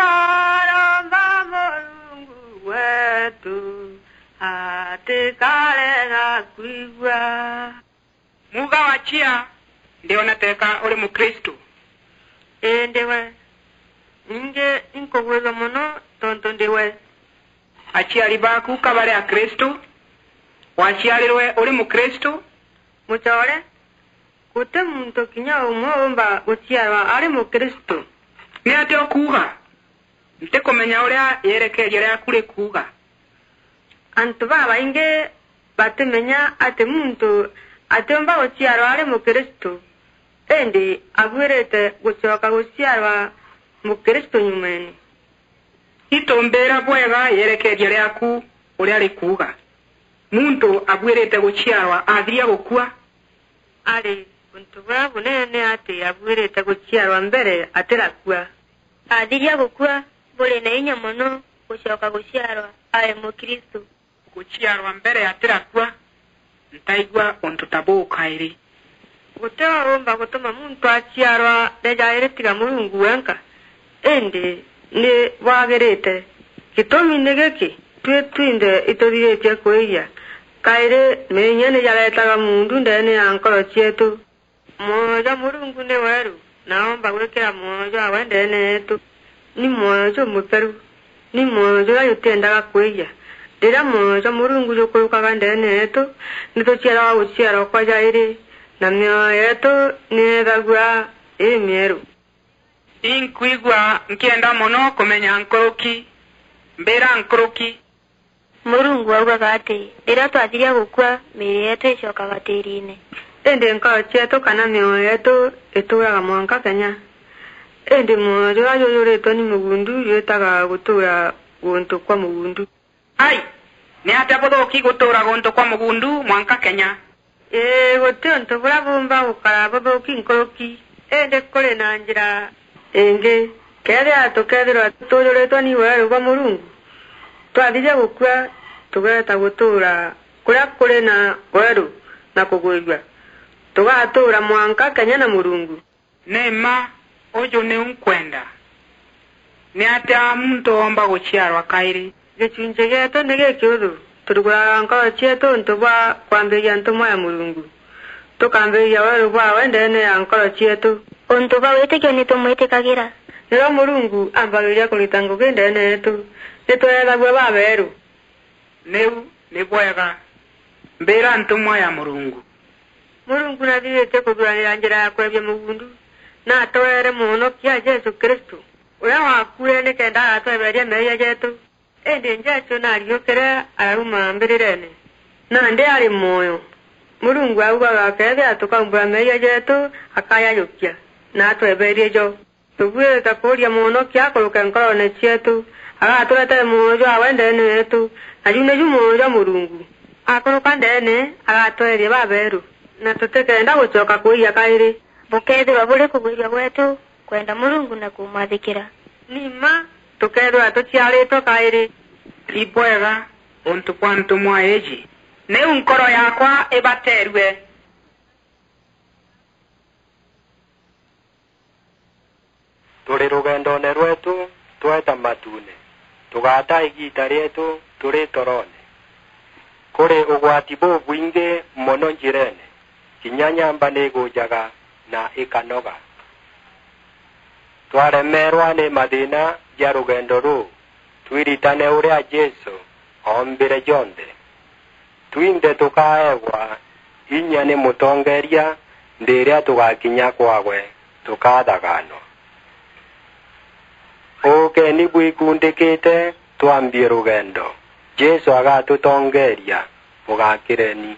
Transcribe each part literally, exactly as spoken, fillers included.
Aromba Murungu wetu atikarega kwigua. Muga wa chia, ndiona teka uri Mukristu. Ii ndi we. Ningi inkugwithua mono tontu ndi we. Aciari baku ka bari Akristu? Waciarirwe uri Mukristu? Mucoore, guti muntu kinya umwe uumba guciarwa ari Mukristu. Ni atia ukuuga? Ntikumenya uria yerekeeria riaku rikuuga. Antu babaingi batimenya ati muntu atiumba guciarwa ari Mukristu, indi abuirite gucoka guciarwa Mukristu nyumeene. Itumbira bwega yerekeeria riaku uria rikuuga. Muntu abuirite guciarwa athiria gukua? Ari untu buria bunene ni ati abuirite guciarwa mbere atirakua. Athiria gukua, buri na inya mono gucoka guciarwa ari Mukristu. Guciarwa mbere atirakua, ntaigua untu ta buu kairi. Guti uumba gutuma muntu aciarwa ri jairi tiga Murungu wenka, indi ni bwagirite. Gitumi ni giki, tui twinthe ituthiritie kwiya. Kairi, meeyia ni jaretaga muundu ndeene ya nkoro cieetu. Mwoyo jwa Murungu ni weeru, na oomba gwikira mwoyo jwawe ndeene yeetu. Ni mwoyo jumutheru, ni mwoyo juria jutiendaga kwiya. Riria mwoyo jwa Murungu jukurukaga ndeene yeetu, ni tuciaragwa guciarwa kwa jairi, na mioyo yeetu ni yeethagua imieru. Inkwigua nkienda mono kumenya nkuruki. Mbira nkuruki. Murungu augaga ati, riria twathiria gukua, miiri yeetu icokaga tiiriine. Indi nkoro cieetu kana mioyo yeetu ituuraga mwanka kenya. Indi mwoyo juria jujuritwe ni mugundu jwitaga gutuura guntu kwa mugundu. Ai, ni atia buthuuki gutuura guntu kwa mugundu mwanka kenya? Ii, guti untu buria buumba gukara buthuuki nkuruki, indi kuri na njira ingi. Keethira tukeethirwa tuujuritwe ni weeru bwa Murungu, twathiria gukua, tugeeta gutuura kuria kuri na weeru na kugwirua. Tugatuura mwanka kenya na Murungu. Ni mma, uju niu nkwenda. Ni atia muntu oomba guciarwa kairi? Gicunci gieetu ni gikiuthu. Turuguraga nkoro cieetu untu bwa kwambiria ntumwa ya Murungu. Tukambiria weeru bwawe ndeene ya nkoro cieetu. Untu bwa witikio ni tumwitikagira. Riria Murungu aambagiriria kurita ngugi ndeene yeetu, ni tweethagua babeeru. Niu ni bwega. Mbira ntumwa ya Murungu. Murungu nathiritie kuthuranira njira ya kweebia mugundu, na atweere Mwonokia Jesu Kristu, uria waakuire nikenda agatweberia meeyia jeetu. Indi Jesu naariukire, araruma mbirireene. Nandi ari mwoyo. Murungu augaga, keethira tukaumbura meeyia jeetu, akajajukia, na atweberie jo. Tubuirite kuuria Mwonokia akuruke nkoroone cieetu, agaturetere mwoyo jwawe ndeene yeetu, na ju niju mwoyo jwa Murungu. Akuruka ndeene, agatweeria babeeru, na tutikenda gucoka kwiya kairi. Bukeethirwa buri kugwirua gweetu kwenda Murungu na kumwathikira. Ni mma, tukeethirwa tuciaritwe kairi. Ibwega untu bwa ntumwa iiji. Niu nkoro yaakwa ibateerue. Turi rugendoone rweetu tweeta matuune, tugaata igiita rieetu turi toroone. Kuri ugwati bubwingi mono njireene, kinya nyamba ni igujaga na ikanoga. Twaremeerwa ni mathiina ja rugendo ruu, twiritane uria Jesu oombire jonthe. Twinthe tukaeegwa inya ni mutongeeria ndiiria tugakinya kwaawe tukathaganwa. Uukeni bwikundikite, twambie rugendo. Jesu agatutongeeria. Bugakireni.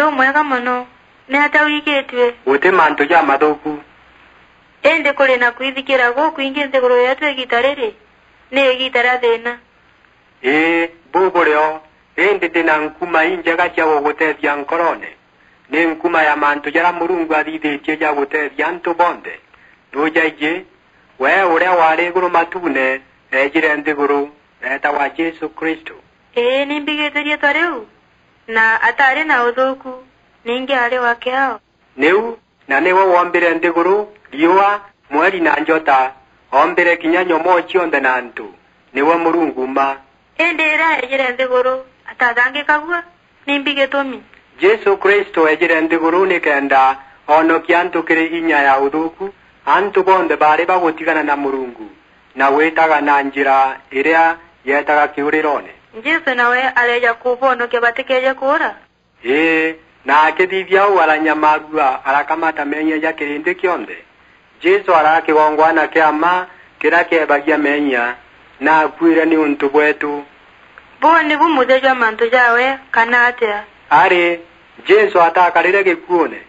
Umwega mono. Ni atia wigitue? Guti mantu jamathuku. Indi kuri na kwithikira gukwingi nthiguru yetu igiita riri, ni igiita ria thiina. Ii, buu buri o, indi ndi na nkuma injega cia gugutethia nkorone. Ni nkuma ya mantu jaria Murungu athithitie ja gutethia antu bonthe. Nujaiji, we uria wari iguru matuune, eejire nthiguru, eetagwa Jesu Kristo. Ii, ni mbigite riitwa riu, na ataari na uthuuku, ningi aari wa kiao. Niu, na niwe woombire nthiguru, riua, mweri na njota, oombire kinya nyomoo cionthe na antu. Niwe Murungu mma. Indi riria eejire nthiguru, atathangikagua nimbi gitumi? Jesu Kristo eejire nthiguru nikenda oonokia antu kiri inya ya uthuuku, antu bonthe baari bagutigana na Murungu, na gwitaga na njira iria yeetaga kiuriroone. Jesu nawe areeja kubonokia batikeeje kuura? Ii, na akithithia uu aranyamaarua, arakamata meeyia ja kirindi kionthe. Jesu araa kigongwana kia mma kiria kieebagia meeyia, na akuire niuntu bweetu. Buu nibu muthia jwa mantu jawe, kana atia? Ari, Jesu ataakarire gikuune,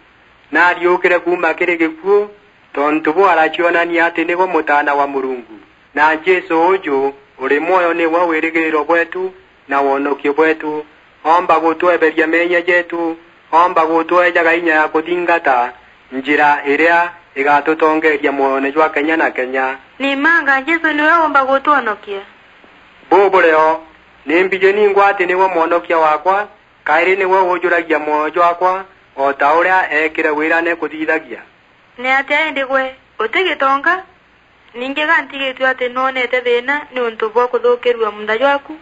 na ariukire kuuma kiri gikuu, tontu buu aracionania ati niwe Mutaana wa Murungu. Na Jesu uuju uri mwoyo niwe wirigiriro bweetu na wonokio bweetu. Oomba gutweberia meeyia jeetu, oomba gutweejaga inya ya kuthingata njira iria igatutongeeria mwoyone jwa kenya na kenya. Ni mma anga Jesu niwe uumba gutwonokia? Buu buri o, ni mbiji ningwa ati niwe mwonokia waakwa, kairi niwe uujuragia mwoyo jwaakwa, o ta uria eekire wirane kuthithagia. Ni atia indi gwe, uti gitonga? Ningi ga ntigitue ati nwonete thiina niuntu bwa kuthukirua muunda jwaku?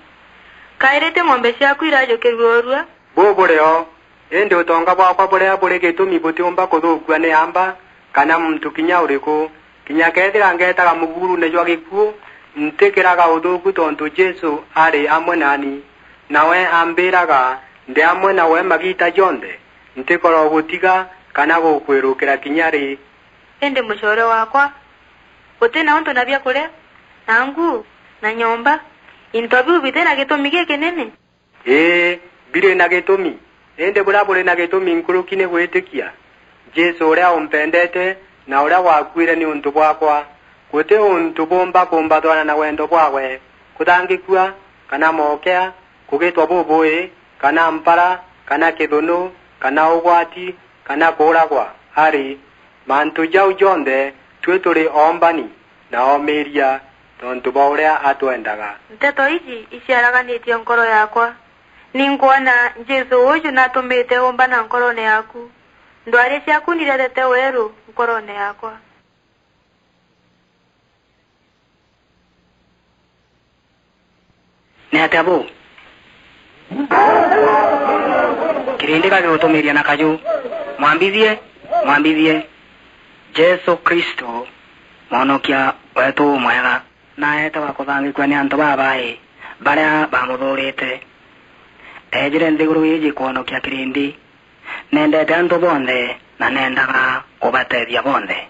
Kairi ti ng'ombe ciaku irajukirua urua? Buu buri o, indi utonga bwaakwa buria buri gitumi butiumba kuthukua ni aamba kana muntu kinya uriku. Kinya keethira ngeetaga muguurune jwa gikuu, ntikiraga uthuuku tontu Jesu ari amwe naani. Nawe ambiiraga, ndi amwe nawe magiita jonthe. Ntikoro gutiga kana gukwirukira kinya ri. Indi mucoore waakwa, uti na untu na biakuria, na nguu, na nyomba, into biu biti na gitumi gikinene? Ii, biri na gitumi, indi buria buri na gitumi nkuruki ni gwitikia Jesu uria umpendete na uria waakuire niuntu bwaakwa. Guti untu buumba kumbathwana na wendo bwaawe, kuthangikua, kana mookea, kugitwa bubui, kana mpara, kana kithunu, kana ugwati, kana kuuragwa. Ari, mantu jau jonthe tui turi oombani na oomiiria tontu bwa uria atwendaga. Nteto iji iciaraganitie nkoro yaakwa. Ni nkwona Jesu uuju natumite umbana nkoroone yaaku. Ndwari ciaku niretete weeru nkoroone yaakwa. Ni atia buu? Kirindi gagigutumiria na kaju, mwambithie, mwambithie. Jesu Kristo, mwonokia weetu umwega, naeete wa kuthangikua ni antu babai baria bamuthuurite. Eejire nthiguru iiji kwonokia kirindi. Nendete antu bonthe na nendaga kubatethia bonthe.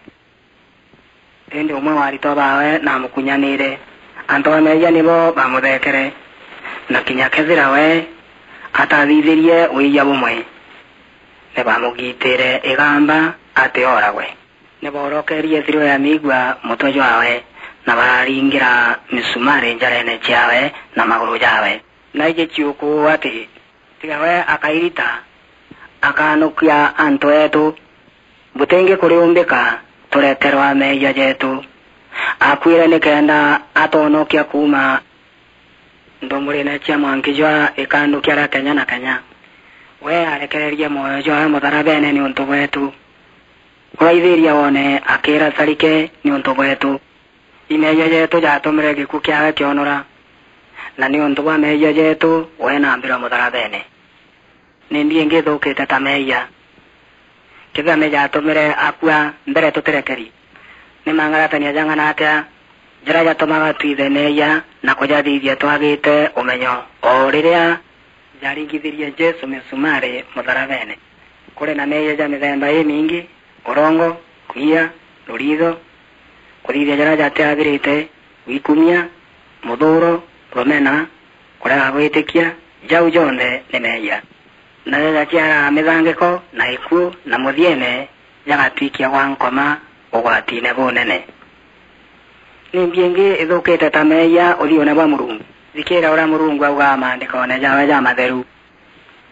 Indi umwe wa aritwa baawe naamukunyaniire. Antu ba meeyia nibo baamutheekere, na kinya kethira we atathithirie wiiyia bumwe, ni baamugiitiire igamba ati ooragwe. Ni boorokerie thiro ya miigua mutwe jwaawe, na bararingira misumari njareene ciaawe na maguru jaawe. Na iji ciuku ati, tiga we akairita, akaanokia antu eetu. Butingi kuriumbika tureterwa meeyia jeetu. Akuire nikenda atwonokia kuuma nthumburine cia mwanki jwa ikandu kia ria kenya na kenya. We arekererie mwoyo jwaawe mutharabeene niuntu bweetu. Uraithiria woone akiira carike niuntu bweetu. I meeyia jeetu jaatumire gikuu kiaawe kionora, na niuntu bwa meeyia jeetu we naambirwe mutharabeene. Nimbi ingi ithuukite ta meeyia? Kethira ni jaatumire akua mbere tutirekeri, ni mangaratania jang'ana atia jaria jatumaga twithe meeyia na kujathithia twagiite umenyo o riria jaringithirie Jesu misumari mutharabeene? Kuri na meeyia ja mithemba imingi: urongo, kwiya, ruriitho, kuthithia jaria jatiagirite, wikumia, muthuuro, rumena, kurega gwitikia, jau jonthe ni meeyia. na jajaciaraa mithangiko na gikuu, na muthiene jagatwikia gwa nkoma ugwatine bunene. Nimbi ingi ithukite ta meeyia uthiune bwa Murungu? Thikiira uria Murungu augaa maandikone jawe jamatheru: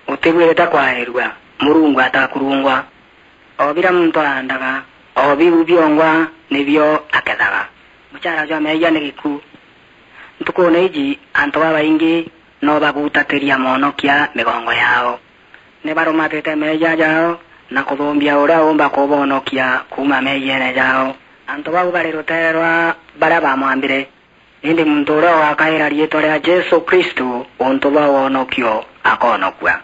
Utibwirite kwairua Murungu atakurungwa. O biria muntu aandaga, o biu biongwa nibio akethaga. Muchaara jwa meeyia ni gikuu. Ntukune iji, antu babaingi no bagutatiria Mwonokia migongo yao. Ni barumatite meeyia jao na kuthumbia uria uumba kubonokia kuuma meeyiene jao. Antu bau bari ruteere rwa baria baamwambire. Indi muntu uria ugakaira riitwa ria Jesu Kristu untu bwa wonokio akoonokua.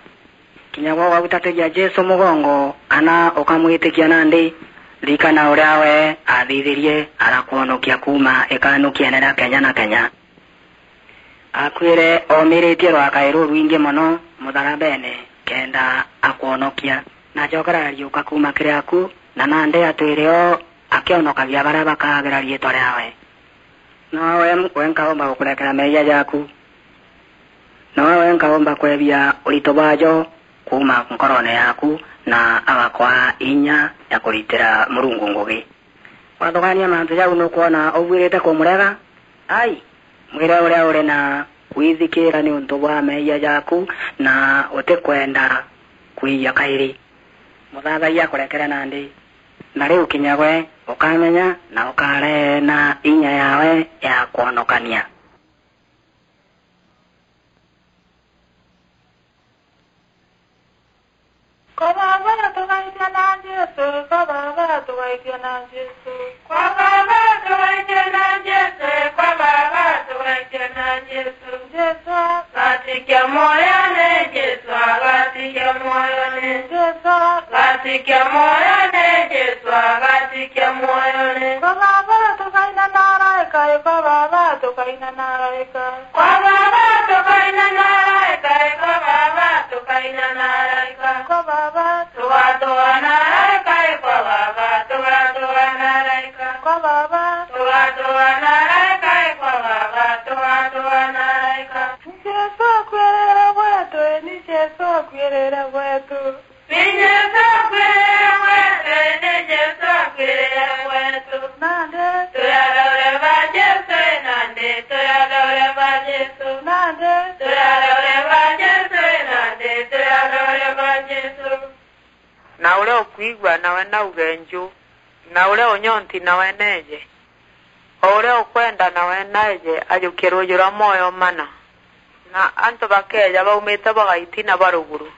Kinya gwe ugagutatiria Jesu mugongo kana ukamwitikia nandi, ririkana uria we aathithirie, arakwonokia kuuma ikanukiene ria kenya na kenya. Aakuire oomiritie rwakae rurwingi mono mutharabene kenda akwonokia. Na acoka arariuka kuuma kiri aku, na nandi atwire o akionokagia baria bakaagira riitwa riawe. Nowe wenka uumba gukurekera meeyia jaaku. Nowe wenka uumba kwebia urito bwajo kuuma nkorone yaaku, na agakwaa inya ya kuritira Murungu ngugi. Wathugaania mantu jau, nukwona ubuirite kumurega? Ai, mwire uria uri na kwithikiira niuntu bwa meeyia jaaku, na utikwenda kwiyia kairi. Muthathaiya akurekere nandi. Na riu kinya gwe ukamenya na ukareena inya yaawe ya kwonokania. Kwa Baaba tugaitia na Jesu, kwa Baaba tugaitia na Jesu. Kwa Baaba tugaitia na Jesu, kwa Baaba tugaitia na Jesu. Jesu agatikia mwoyone, Jesu agatikia mwoyone. Jesu agatikia mwoyone, Jesu agatikia mwoyone. Kwa Baaba tukaina na araika, kwa Baaba tukaina na araika. Kwa Baaba tukaina na araika, kwa Baaba tukaina na araika. Kwa Baaba tugatua na araika, kwa Baaba tugatua na araika. Kwa Baaba tugatua na araika, kwa Baaba tugatua na araika. Ni Jesu akuirire gwetu, ni Jesu akuirire gwetu. Ni Jesu akuirire gwetu, ni Jesu akuirire gwetu. Nandi turi athaure ba Jesu, nandi turi athaure ba Jesu. Nandi turi athaure ba Jesu, nandi turi athaure ba Jesu. Na uria ukwigua, nawe nauge nju, na uria unyonti, nawe neeje. O uria ukwenda, nawe naeje ajukie ruuji rwa mwoyo mana. Na antu bakeeja baumite bwa gaitina bwa ruguru,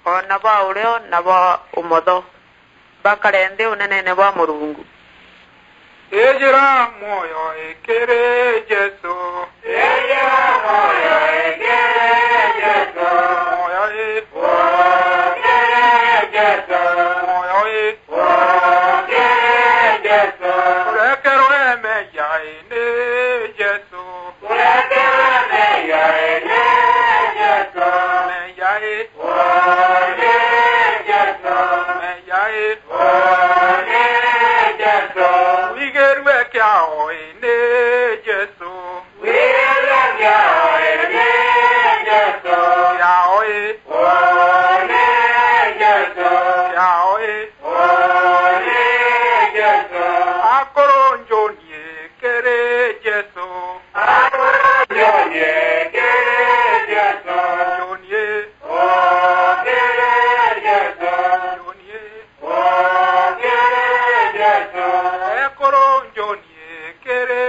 o na bwa urio na bwa umotho, bakare nthi uneneene bwa Murungu. Ijira mwoyo ikiri Jesu. Ijira mwoyo ikiri Jesu. Mwoyo i. Ukiri Jesu. Mwoyo i. Ukiri Jesu. Kurekerwe meeyia i ni Jesu. Kurekerwe meeyia i ni Jesu. Meeyia i. Ukiri Jesu. Meeyia i. Ukiri Jesu. Wigirue kiao i ni Jesu. Wigirue kiao i ni Jesu. Kiao i. Ukiri Jesu. Kiao i. Ukiri Jesu. Akuru njunie kiri Jesu. Akuru njunie kiri Jesu. Njunie. Ukiri Jesu. Njunie. Ukiri Jesu. Ekuru njunie kiri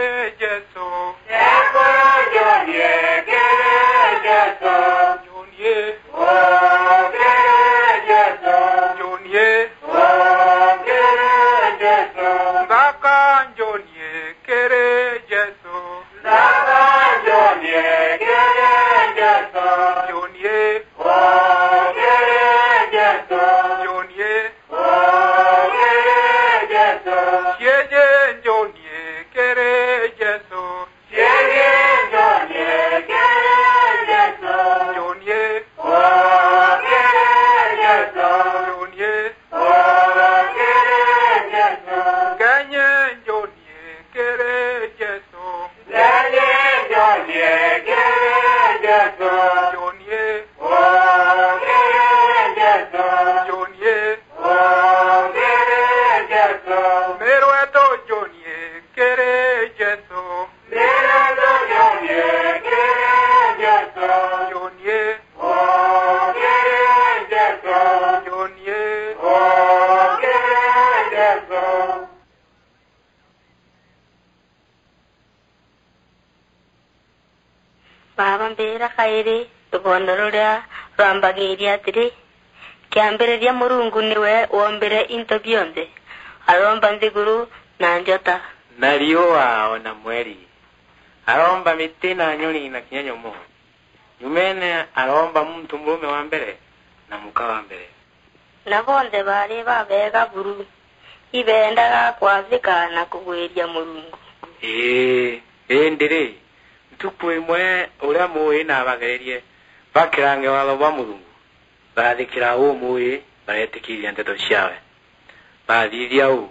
Baaba, mbira kairi rubondo ruria rwambagiiria atiri, kiambiriria Murungu niwe wombire into bionthe, aromba nthiguru na njota. Na riua o na mweri. Aromba miti na nyoni na kinya nyomo. Nyumene aromba muntu murume wa mbere na muka wa mbere. Na bonthe baari babega buru, ibeendaga kwathika na kugwiria Murungu. Ii, indi ri, ntuku imwe uria Muui naabagererie bakirange waatho bwa Murungu, barathikira uu Muui, bareetikiiria nteto ciawe. Baathithia uu,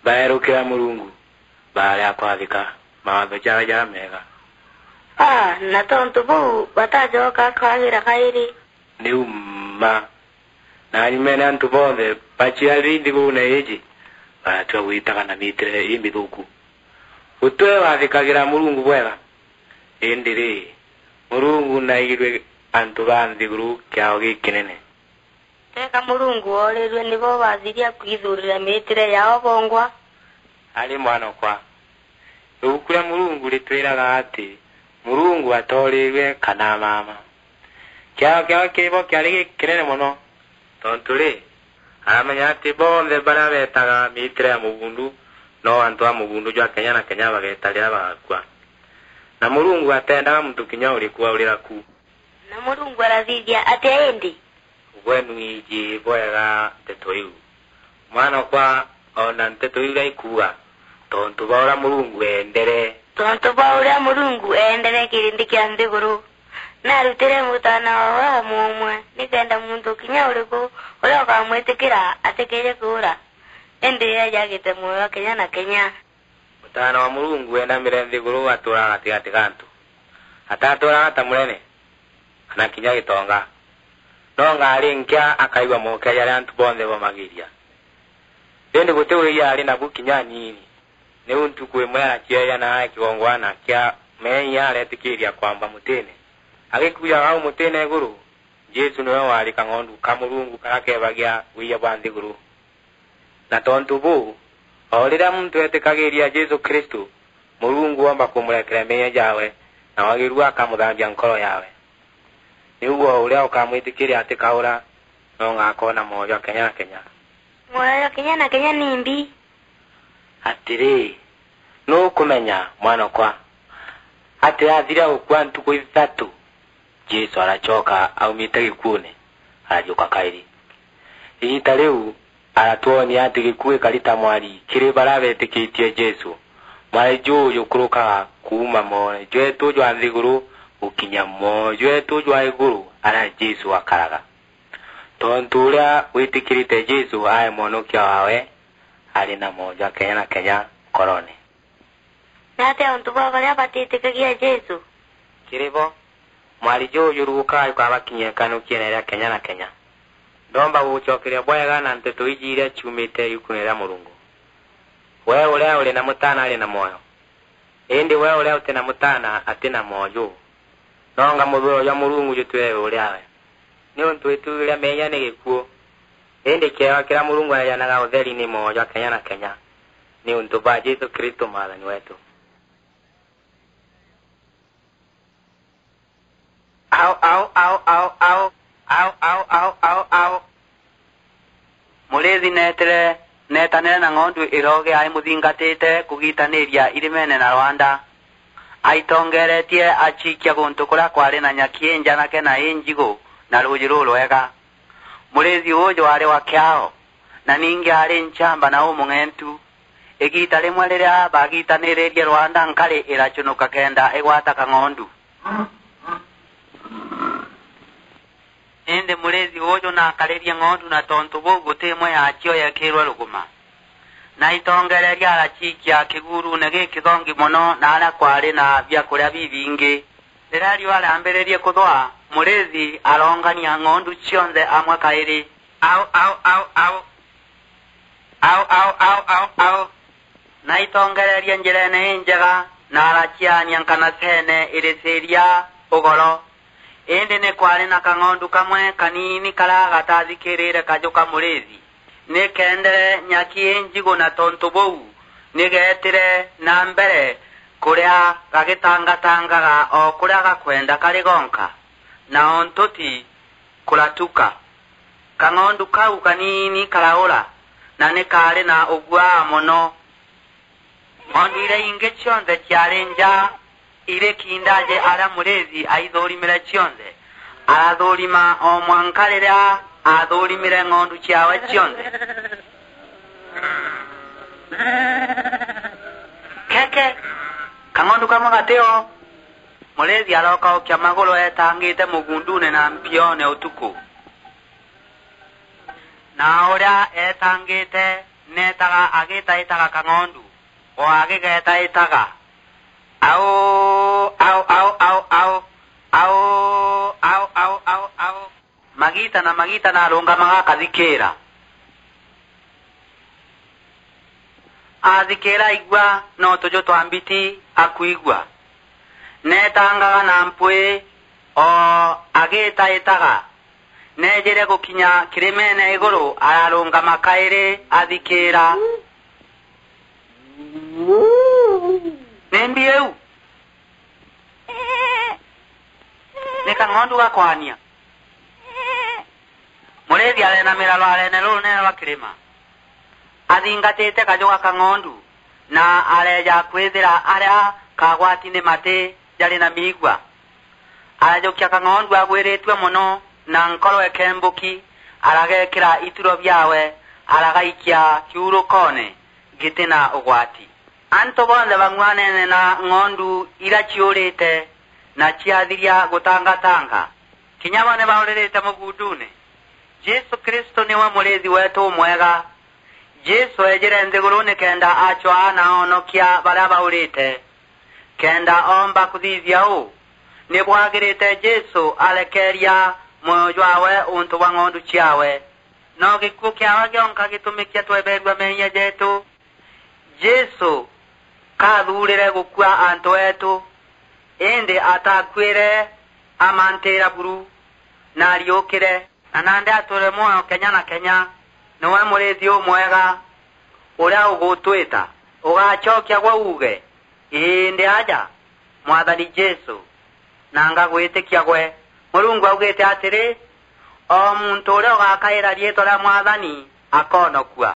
baerukira Murungu, baarega kwathika mawaatho jawe jameega. A, na tontu buu batacoka kwagira kairi. Niu mma. Na nyumene antu bonthe baciariri nthiguruune iiji, baratua gwitaga na miitire imithuuku. Gutwe wathikagira Murungu bwega, indi ri, Murungu naigirue antu ba nthiguru kiao gikinene. Teka Murungu oorirue nibo baathiria kwithuurira miitire yao bongwa? Ari mwanokwa, ibuku ria Murungu ritwiraga ati Murungu atoorirue kana amaama. Kiao kiao kiri bo kiari gikinene mono, tontu ri, aramenya ati bonthe baria beetaga miitire ya mubundu, no antu a mubundu jwa kenya na kenya bageeta riria bagakua. Na Murungu ateendaga muntu kinya uriku aurira ku. Na Murungu arathithia atia indi? Gwe nwiji bwega nteto iu, mwanokwa, o na nteto iu iria ikuuga, tontu bwa uria Murungu eendere. Tontu bwa uria Murungu eendere kirindi kia nthiguru, naarutire Mutaana waawe o mumwe, nikenda muntu kinya uriku uria ukamwitikira atikeeje kuura, indi eeje agite mwoyo kenya na kenya. Mutaana wa Murungu weenamire nthiguru atuuraga gatigati ga antu. Atatuuraga ta munene, kana kinya gitonga. No ngaari nkia akaigua mookia jaria antu bonthe baumagiiria. Indi guti wiiya aari nabu kinya aniini. Niu ntuku imwe aracieeja na ae kigongwana kia meeyia areetikiiria kwamba mutine. Agikujaga au mutine iguru, Jesu niwe waari kang'ondu ka Murungu karia keebagia wiiya bwa nthiguru. Na tontu buu, o riria muntu eetikagiiria Jesu Kristu, Murungu oomba kumurekera meeyia jaawe, na wagiru akamuthambia nkoro yaawe. Niu o uria ukamwitikiria atikaura, no ngakoona mwoyo jwa kenya na kenya. Mwoyo jwa kenya na kenya nimbi? Atiri, nukumenya, mwanokwa, ati athira gukua ntuku ithatu, Jesu aracoka aumite gikuune, arajuka kairi. Igiita riu, aratwonia ati gikuu gikari ta mwari kiri baria beetikitie Jesu. Mwari juu jukurukaga kuuma mwoyo jweetu jwa nthiguru gukinya mwoyo jweetu jwa iguru aria Jesu akaraga. Tontu uria witikirite Jesu ae Mwonokia waawe, ari na mwoyo jwa kenya na kenya nkorone. Ni atia untu bwa baria batiitikagia Jesu? Kiri bo, mwari juu jurugukaga jukabakinyia ikanukiene ria kenya na kenya. Ndomba gugucokeria bwega na nteto iji iria ciumite yukuune ria Murungu. We uria uri na Mutaana ari na mwoyo. Indi we uria uti na Mutaana ati na mwoyo juu. Nonga muthuro jwa Murungu jutwire iguru riawe. Niuntu itu riu ria meeyia ni gikuu, indi kiewa kiria Murungu aejanaga utheri ni mwoyo jwa kenya na kenya, niuntu bwa Jesu Kristu Mwathani weetu. Au, au, au, au, au. Au, au, au, au, au. Muriithi neetire, neetanire na ng'ondu iroge aimuthingatite kugiitaniiria irimene na rwanda. Aitongeretie aciikia guntu kuria kwari na nyaki injanake na injigu na ruuji rurwega. Muriithi uuju aari wa kiao, na ningi aari nchamba na umung'entu. Igiita rimwe riria baagiitaniririe rwanda, nkari iracunuka kenda igwata kang'ondu. Indi muriithi uuju naakaririe ng'ondu, na tontu buu guti imwe yaacio yeekirwe ruguma. Na aitongereria araciikia kiguruune gikithongi mono, na aria kwaari na biakuria bibingi. Riria riua riambiririe kuthwa, muriithi aroongania ng'ondu cionthe amwe kairi. Au, au, au, au. Au, au, au, au, au. Na aitongereria njirene injega, na araciaania nkanaseene iriciiria ugoro. Indi ni kwaari na kang'ondu kamwe kaniini karia gatathikiriire kaju ka muriithi. Ni keendere nyaki injigu, na tontu buu ni geetire na mbere kuria gagitangatangaga o kuria gakwenda kari gonka, na o ntuti kuratuka. Kang'ondu kau kaniini karaura, na ni kaari na uguaa mono. Ng'ondu iria ingi cionthe ciari nja iri kindaje aria muriithi aithurimire cionthe. Arathurima o mwanka riria athurimire ng'ondu ciawe cionthe. Keke, kang'ondu kamwe gatio. Muriithi arokaukia maguru eetangite mugundune na mpione utuku. Na uria eetangite neetaga agitaitaga kang'ondu, o agigetaitaga, "Au, au, au, au, au, au, au, au, au, au." Magiita na magiita na arungamaga akathikiira. Athikiira aigua no tuju twa mbiti akwigua. Neetangaga na mpwi, o agitaitaga. Neejire gukinya kirimene iguru, ararungama kairi athikiira. Nimbi iu? Ni kang'ondu gakwania. Muriithi areenamira rwareene rurunene rwa kirima, athingatite kaju ga kang'ondu, na areeja kwithira aria kagwati ni mati jari na miigua. Arajukia kang'ondu agwiritue mono, na nkoro ikembuki, aragekira ituro biawe, aragaikia kiurukoone giti na ugwati. Antu bonthe bang'uanene na ng'ondu iria ciurite na ciathiria gutangatanga. Kinya bo ni bauririte mugundune. Jesu Kristo niwe muriithi wetu umwega. Jesu eejire nthiguru nikenda acwaa na onokia baria baurite. Kenda oomba kuthithia uu, ni bwagirite Jesu arekeeria mwoyo jwawe untu bwa ng'ondu ciawe. No gikuu kiawe gionka gitumikia tweberua meeyia jetu. Jesu kaathuurire gukua antu eetu, indi ataakuire, amantiira buru, na ariukire. Na nandi atuure mwoyo kenya na kenya. Niwe muriithi umwega uria ugutwita. Ugacokia gwe uuge, "Ii, ndi aja, Mwathani Jesu, na ngagwitikia gwe." Murungu augite atiri, "O muntu uria ugakaira riitwa ria Mwathani akoonokua."